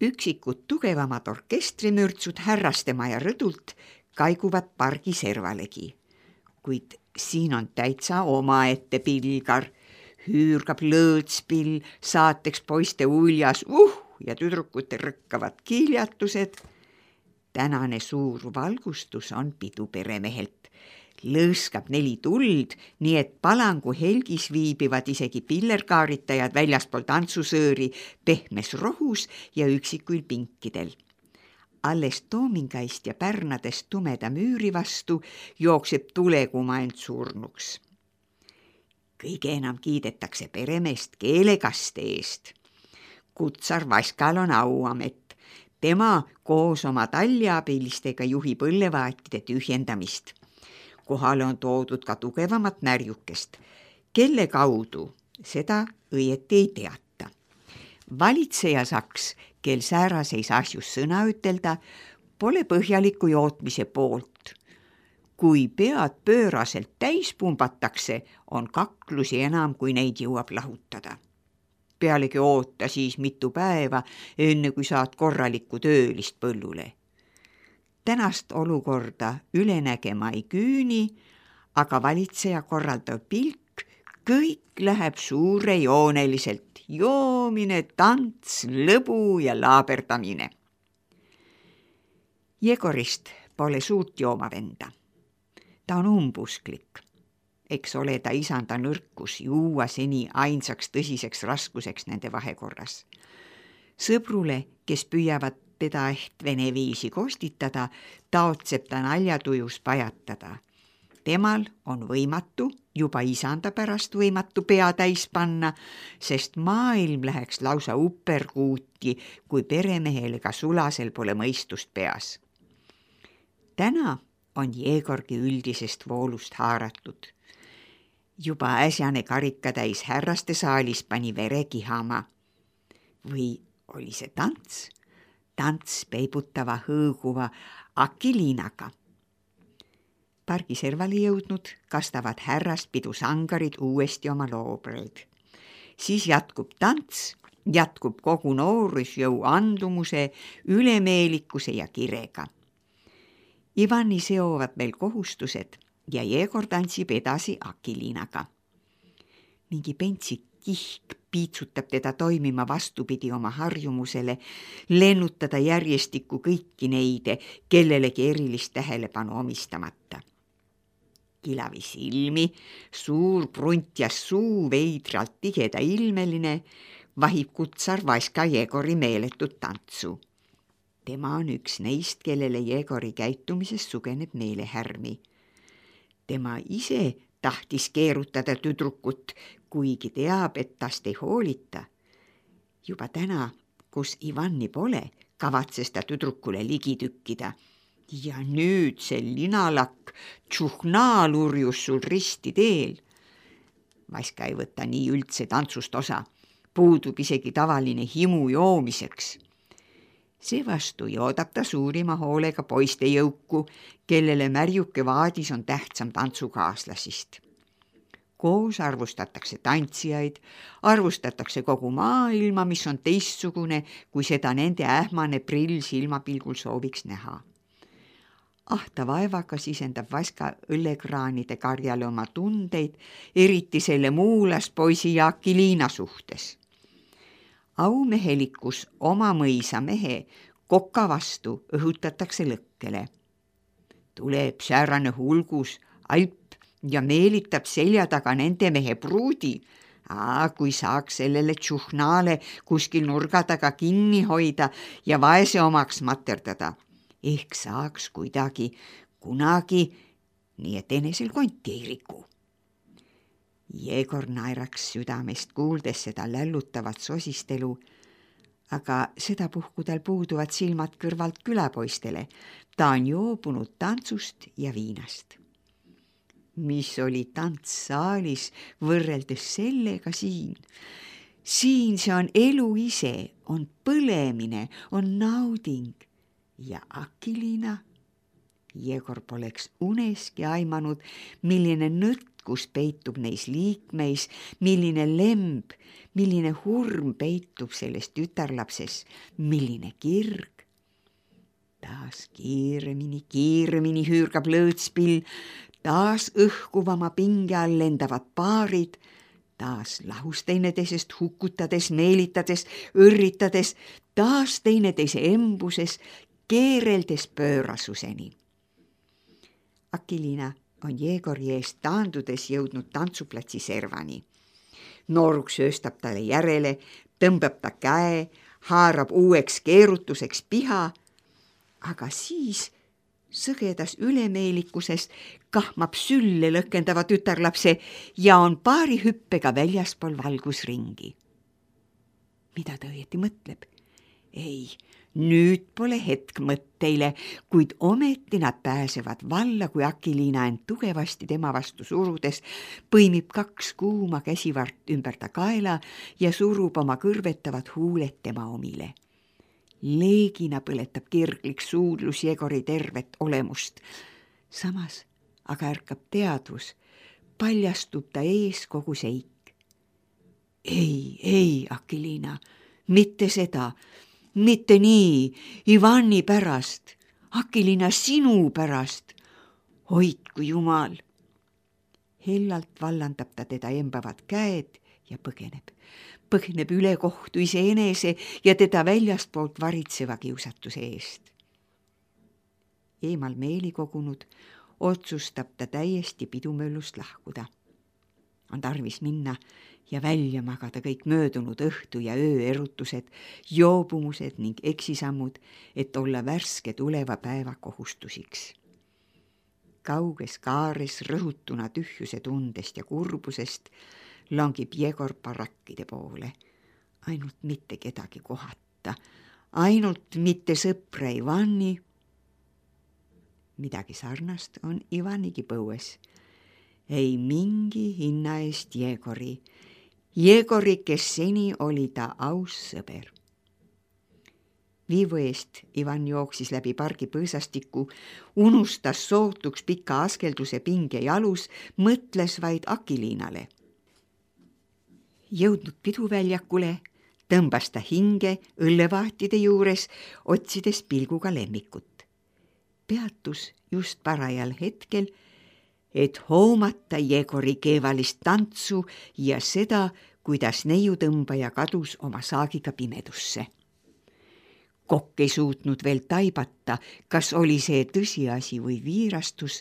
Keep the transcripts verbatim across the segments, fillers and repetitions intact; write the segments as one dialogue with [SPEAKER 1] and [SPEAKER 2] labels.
[SPEAKER 1] Üksikud tugevamad orkestrimürtsud härrastemaja rõdult kaiguvad pargi servalegi, kuid siin on täitsa omaette pilgar. Hüürgab lõõtspill, saateks poiste uljas uh ja tüdrukute rõkkavad kiljatused. Tänane suur valgustus on pidu peremehelt. Lõõskab neli tuld, nii et palangu helgis viibivad isegi pillerkaaritajad väljaspool tantsusööri pehmes rohus ja üksikuil pinkidel. Alles toomingaist ja pärnadest tumeda müüri vastu jookseb tuleguma end surnuks. Kõige enam kiidetakse peremeest keelekaste eest. Kutsar Vaskal on auamet. Tema koos oma talliabilistega juhib õllevaatide tühjendamist. Kohale on toodud ka tugevamat närjukest. Kelle kaudu, seda õieti ei teata. Valitseja Saks, kel sääraseis asjus sõna ütelda, pole põhjaliku jootmise poolt. Kui pead pööraselt täis pumbatakse, on kaklusi enam, kui neid jõuab lahutada. Pealegi oota siis mitu päeva, enne kui saad korralikku töölist põllule. Tänast olukorda üle nägema ei küüni, aga valitseja korraldav pilk, kõik läheb suurejooneliselt, joomine, tants, lõbu ja laaberdamine. Jegorist pole suurt joomavenda. Ta on umbusklik. Eks ole ta isanda nõrkus juua seni ainsaks tõsiseks raskuseks nende vahekorras. Sõbrule, kes püüavad teda ehk vene viisi kostitada, taotseb ta naljatujus pajatada. Temal on võimatu, juba isanda pärast võimatu pea täis panna, sest maailm läheks lausa upperkuuti, kui peremehel ega sulasel pole mõistust peas. Täna on Jegorgi üldisest voolust haaratud. Juba äsjane karikatäis härraste saalis pani vere kihama. Või oli see tants? Tants peibutava hõõguva Akiliinaga. Pargiservali jõudnud kastavad härrast pidu sangarid uuesti oma loobreid. Siis jätkub tants, jätkub kogu noorusjõu andumuse, ülemeelikuse ja kirega. Ivani seovad veel kohustused ja Jegor tantsib edasi Akiliinaga. Mingi pentsik kihk piitsutab teda toimima vastupidi oma harjumusele, lennutada järjestikku kõiki neide, kellelegi erilist tähelepanu omistamata. Kilavi silmi, suur pruntjas suu veidralt tigeda ilmeline, vahib kutsar Vaska Jegori meeletut tantsu. Tema on üks neist, kellele Jegori käitumises sugeneb meelehärmi. Tema ise tahtis keerutada tüdrukut, kuigi teab, et tast ei hoolita. Juba täna, kus Ivani pole, kavatses ta tüdrukule ligi tükkida. Ja nüüd see linalakk tšuhnaa lurjus sul risti teel. Vaska ei võta nii üldse tantsust osa. Puudub isegi tavaline himu joomiseks. Seevastu joodab ta suurima hoolega poiste jõuku, kellele märjuke vaadis on tähtsam tantsukaaslasist. Koos arvustatakse tantsijaid, arvustatakse kogu maailma, mis on teistsugune, kui seda nende ähmane prill silmapilgul sooviks näha. Ahta vaevaga sisendab Vaska õllekraanide karjale oma tundeid, eriti selle muulas poisi ja Akiliina suhtes. Aumehelikus oma mõisa mehe kokka vastu õhutatakse lõkkele. Tuleb säärane hulgus, alp ja meelitab selja taga nende mehe pruudi. Aa, kui saaks sellele tšuhnaale kuskil nurga taga kinni hoida ja vaese omaks materdada. Ehk saaks kuidagi, kunagi, nii et enesel konti ei riku. Jegor naeraks südamest kuuldes seda lällutavat sosistelu, aga sedapuhku tal puuduvad silmad kõrvalt külapoistele. Ta on joobunud tantsust ja viinast. Mis oli tants saalis võrreldes sellega siin? Siin see on elu ise, on põlemine, on nauding. Ja Akiliina, Jegor poleks uneski aimanud, milline nõtkus peitub neis liikmeis, milline lemb, milline hurm peitub selles tütarlapses, milline kirg. Taas kiiremini, kiiremini hüürgab lõõtspill, taas õhkuvama pinge all lendavad paarid, taas lahus teineteisest hukutades, meelitades, õrritades, taas teineteise embuses, keereldes pöörasuseni. Akiliina on Jegori eest taandudes jõudnud tantsuplatsi servani. Nooruk sööstab talle järele, tõmbab ta käe, haarab uueks keerutuseks piha, aga siis sõgedas ülemeelikuses kahmab sülle lõkendava tütarlapse ja on paari hüppega väljaspool valgusringi. Mida ta õieti mõtleb? Ei, nüüd pole hetk mõtteile, kuid ometi nad pääsevad valla, kui Akiliina end tugevasti tema vastu surudes põimib kaks kuuma käsivart ümber ta kaela ja surub oma kõrvetavad huuled tema omile. Leegina põletab kirglik suudlus Jegori tervet olemust. Samas aga ärkab teadvus, paljastub ta ees kogu seik. Ei, ei, Akiliina, mitte seda, mitte nii, Ivani pärast, Akiliina sinu pärast, hoidku Jumal. Hellalt vallandab ta teda embavad käed ja põgeneb. Põgeneb üle kohtu iseenese ja teda väljastpoolt varitseva kiusatuse eest. Eemal meeli kogunud, otsustab ta täiesti pidumöllust lahkuda. On tarvis minna ja välja magada kõik möödunud õhtu ja öö erutused, joobumused ning eksisammud, et olla värske tuleva päeva kohustusiks. Kauges kaares rõhutuna tühjuse tundest ja kurbusest langib Jegor barakkide poole, ainult mitte kedagi kohata, ainult mitte sõpra Ivani. Midagi sarnast on Ivanigi põues. Ei mingi hinna eest Jegori, Jegori, kes seni oli ta aus sõber. Viivu eest Ivan jooksis läbi pargi põõsastiku, unustas sootuks pika askelduse pinge jalus, mõtles vaid Akiliinale. Jõudnud piduväljakule, tõmbas ta hinge õllevahtide juures, otsides pilguga lemmikut. Peatus just parajal hetkel, et hoomata Jegori keevalist tantsu ja seda, kuidas neiutõmbaja kadus oma saagiga pimedusse. Kokk ei suutnud veel taibata, kas oli see tõsiasi või viirastus,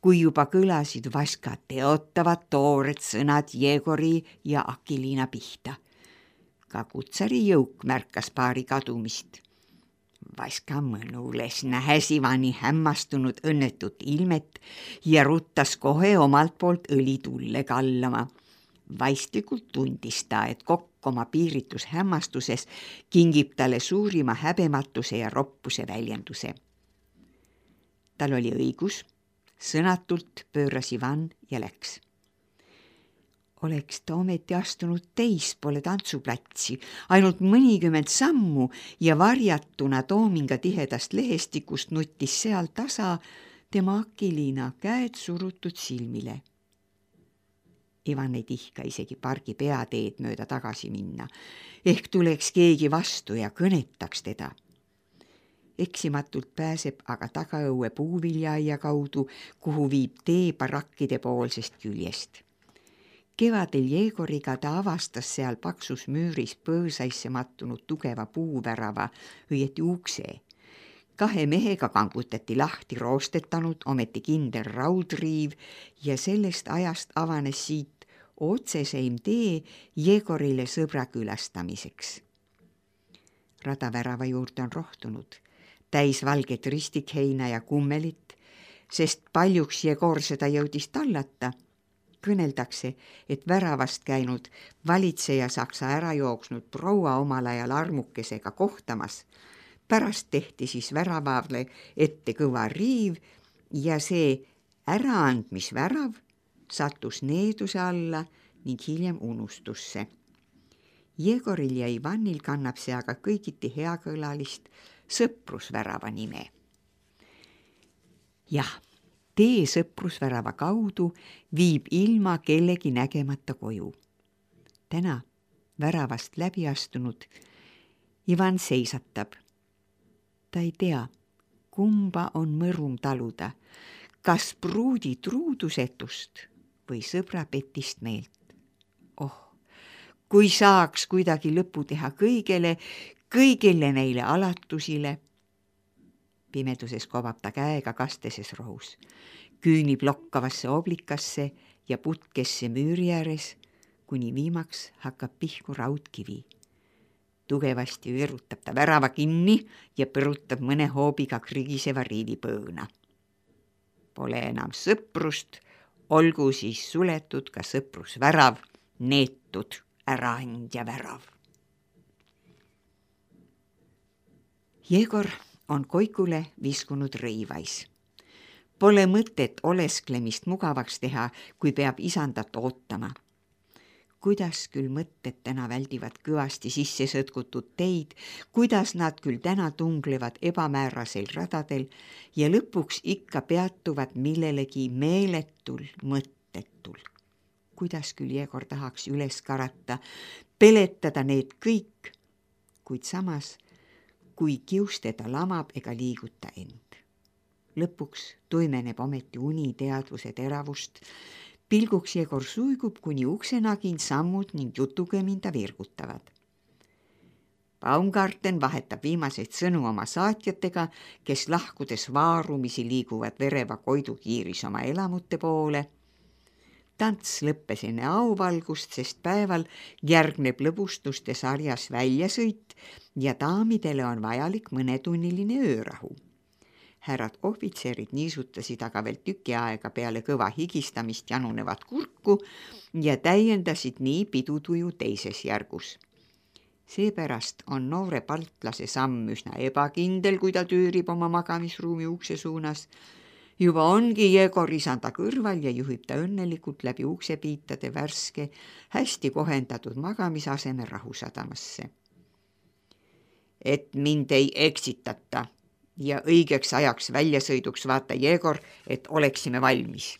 [SPEAKER 1] kui juba kõlasid vaskad teotavad toored sõnad Jegori ja Akiliina pihta. Ka kutsari jõuk märkas paari kadumist. Vaska mõnules nähes Ivani hämmastunud õnnetut ilmet ja ruttas kohe omalt poolt õli tulle kallama. Vaistlikult tundis ta, et kokk oma piiritus hämmastuses kingib talle suurima häbematuse ja roppuse väljenduse. Tal oli õigus. Sõnatult pööras Ivan ja läks. Oleks ta ometi astunud teispoole tantsuplatsi, ainult mõnikümmend sammu ja varjatuna toominga tihedast lehestikust nutis seal tasa tema Akiliina käed surutud silmile. Ivan ei tihka isegi pargi peateed mööda tagasi minna, ehk tuleks keegi vastu ja kõnetaks teda. Eksimatult pääseb aga tagaõue puuviljaaia kaudu, kuhu viib tee barakkide poolsest küljest. Kevadel Jegoriga ta avastas seal paksus müüris põõsaisse mattunud tugeva puuvärava, õieti ukse. Kahe mehega kangutati lahti roostetanud, ometi kindel raudriiv ja sellest ajast avanes siit otseseim tee Jegorile sõbra külastamiseks. Radavärava juurde on rohtunud. Täis valget ristikheina ja kummelit, sest paljuks Jegor seda jõudis tallata. Kõneldakse, et väravast käinud valitseja saksa ära jooksnud proua omal ajal armukesega kohtamas. Pärast tehti siis väravavle ette kõva riiv ja see äraandmisvärav sattus needuse alla ning hiljem unustusse. Jegoril ja Ivanil kannab see aga kõigiti heakõlalist sõprusvärava nime. jah, tee sõprusvärava kaudu viib ilma kellegi nägemata koju. Täna väravast läbi astunud Ivan seisatab. Ta ei tea, kumba on mõrum taluda, kas pruudi truudusetust või sõbra petist meelt. Oh, kui saaks kuidagi lõpu teha kõigele, kõigile neile alatusile. Pimeduses kobab ta käega kasteses rohus, küünib lokkavasse oblikasse ja putkesse müüri ääres, kuni viimaks hakkab pihku raudkivi. Tugevasti virutab ta värava kinni ja põrutab mõne hoobiga krigiseva riivipõõna. Pole enam sõprust, olgu siis suletud ka sõprusvärav, neetud äraandja värav. Jegor on koikule viskunud rõivais. Pole mõtet olesklemist mugavaks teha, kui peab isandat ootama. Kuidas küll mõtted täna väldivad kõvasti sisse sõtkutud teid, kuidas nad küll täna tunglevad ebamäärasel radadel ja lõpuks ikka peatuvad millelegi meeletul, mõttetul. Kuidas küll Jegor tahaks üles karata, peletada need kõik, kuid samas, kui kius teda lamab ega liiguta end. Lõpuks tuimeneb ometi uni teadvuse teravust, pilguks Jegor suigub, kuni uksenagin sammud ning jutukeminda virgutavad. Baumgarten vahetab viimaseid sõnu oma saatjatega, kes lahkudes vaarumisi liiguvad vereva Koidu kiiris oma elamute poole. Tants lõppes enne auvalgust, sest päeval järgneb lõbustuste sarjas väljasõit ja daamidele on vajalik mõnetunniline öörahu. Härrad ohvitserid niisutasid aga veel tüki aega peale kõva higistamist janunevat kurku ja täiendasid nii pidutuju teises järgus. Seepärast on noore paltlase samm üsna ebakindel, kui ta tüürib oma magamisruumi ukse suunas. Juba ongi Jegor isanda kõrval ja juhib ta õnnelikult läbi uksepiitade värske, hästi kohendatud magamisaseme rahusadamasse. Et mind ei eksitata ja õigeks ajaks väljasõiduks vaata Jegor, et oleksime valmis.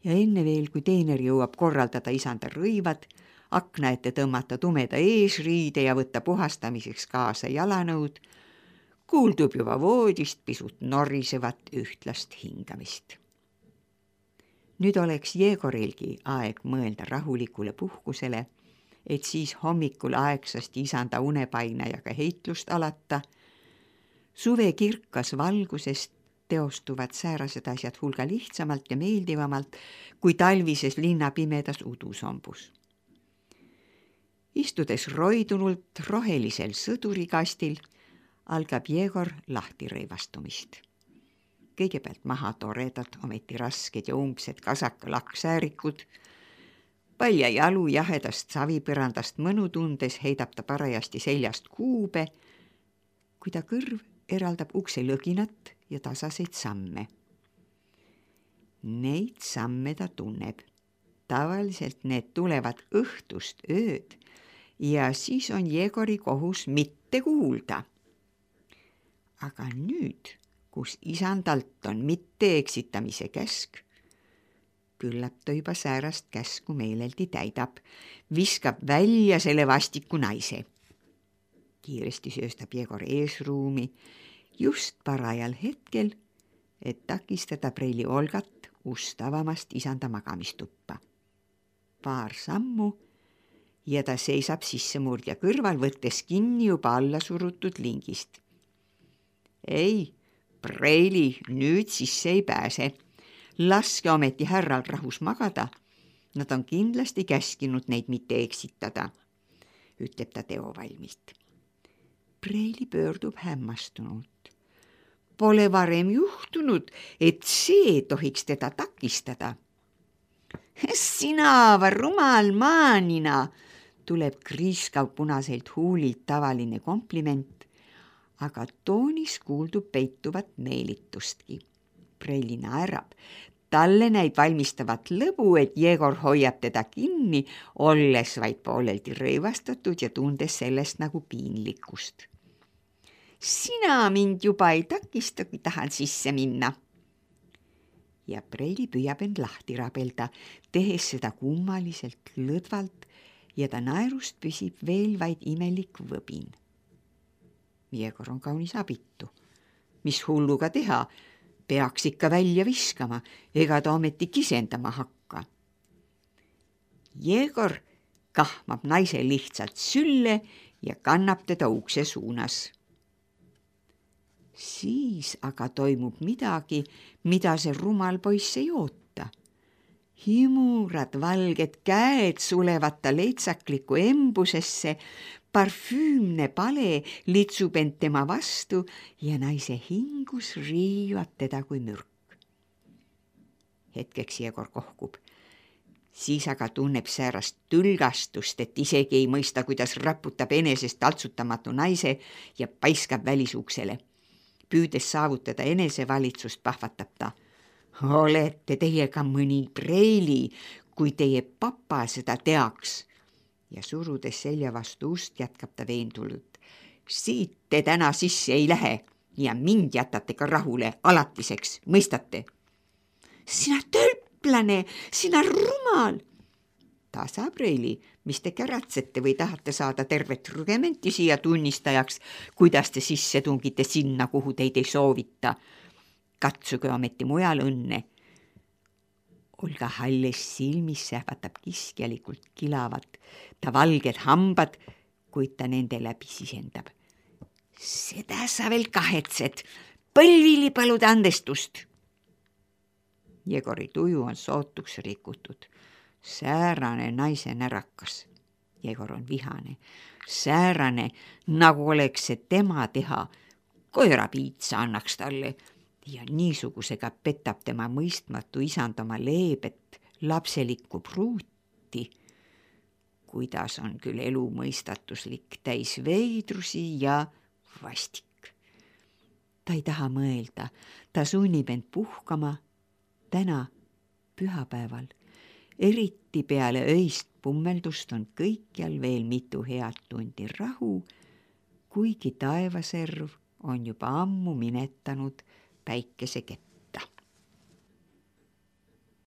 [SPEAKER 1] Ja enne veel, kui teener jõuab korraldada isanda rõivad, akna ette tõmmata tumeda eesriide ja võtta puhastamiseks kaasa jalanõud, kuuldub juba voodist pisut norisevat ühtlast hingamist. Nüüd oleks Jegorilgi aeg mõelda rahulikule puhkusele, et siis hommikul aegsasti isanda unepainajaga heitlust alata. Suve kirkas valgusest teostuvad säärased asjad hulga lihtsamalt ja meeldivamalt kui talvises linna pimedas udusombus. Istudes roidunult rohelisel sõdurikastil, algab Jegor lahti rõivastumist. Kõigepealt maha toredad, ometi rasked ja umbsed kasaka-lakksäärikud. Palja jalu jahedast savipõrandast mõnu tundes heidab ta parajasti seljast kuube, kui ta kõrv eraldab ukse lõginat ja tasaseid samme. Neid samme ta tunneb. Tavaliselt need tulevad õhtust ööd ja siis on Jegori kohus mitte kuulda. Aga nüüd, kus isandalt on mitte eksitamise käsk, küllap ta juba säärast käsku meeleldi täidab, viskab välja selle vastiku naise. Kiiresti sööstab Jegor eesruumi just parajal hetkel, et takistada preili Olgat ustavamast isanda magamistuppa. Paar sammu ja ta seisab sissemurdja kõrval, võttes kinni juba alla surutud lingist. Ei, preili nüüd sisse ei pääse. Laske ometi härral rahus magada. Nad on kindlasti käskinud neid mitte eksitada, ütleb ta teovalmilt. Preili pöördub hämmastunult. Pole varem juhtunud, et see tohiks teda takistada. Sina, rumal maanina, tuleb kriiskav punaselt huulilt tavaline kompliment, aga toonis kuuldub peituvat meelitustki. Preili naerab. Talle näib valmistavat lõbu, et Jegor hoiab teda kinni, olles vaid pooleldi rõivastatud ja tundes sellest nagu piinlikkust. sina mind juba ei takista, kui tahan sisse minna. Ja Preili püüab end lahti rabelda, tehes seda kummaliselt lõdvalt ja ta naerust püsib veel vaid imelik võbin. Jegor on kaunis abitu. Mis hulluga teha? Peaks ikka välja viskama, ega ta ometi kisendama hakka. Jegor kahmab naise lihtsalt sülle ja kannab teda ukse suunas. Siis aga toimub midagi, mida see rumal poiss ei oota. Himurad valged käed sulevad ta leitsakliku embusesse, parfüümne pale litsub end tema vastu ja naise hingus riivab teda kui mürk. Hetkeks Jegor kohkub. Siis aga tunneb säärast tülgastust, et isegi ei mõista, kuidas raputab enesest taltsutamatu naise ja paiskab välisuksele. Püüdes saavutada enesevalitsust, pahvatab ta. Olete teie ka mõni Preili, kui teie papa seda teaks. Ja surudes selja vastu ust jätkab ta veendult. Siit te täna sisse ei lähe ja mind jätate ka rahule alatiseks, mõistate? Sina tölplane, sina rumal! Tasa, Preili, mis te käratsete või tahate saada tervet rugementi siia tunnistajaks, kuidas te sisse tungite sinna, kuhu teid ei soovita. Katsuge ometi mujal õnne. Olga halles silmis sähvatab kiskjalikult kilavat, ta valged hambad, kuid ta nende läbi sisendab. Seda sa veel kahetsed, põlvili palud andestust. Jegori tuju on sootuks rikutud. Säärane naise närakas. Jegor on vihane. Säärane, nagu oleks see tema teha. Koerapiitsa annaks talle ja niisugusega petab tema mõistmatu isand oma leebet lapselikku pruuti. Kuidas on küll elu mõistatuslik, täis veidrusi ja vastik. Ta ei taha mõelda, ta sunnib end puhkama täna pühapäeval. Eriti peale öist pummeldust on kõikjal veel mitu head tundi rahu, kuigi taevaserv on juba ammu minetanud päikesekepp.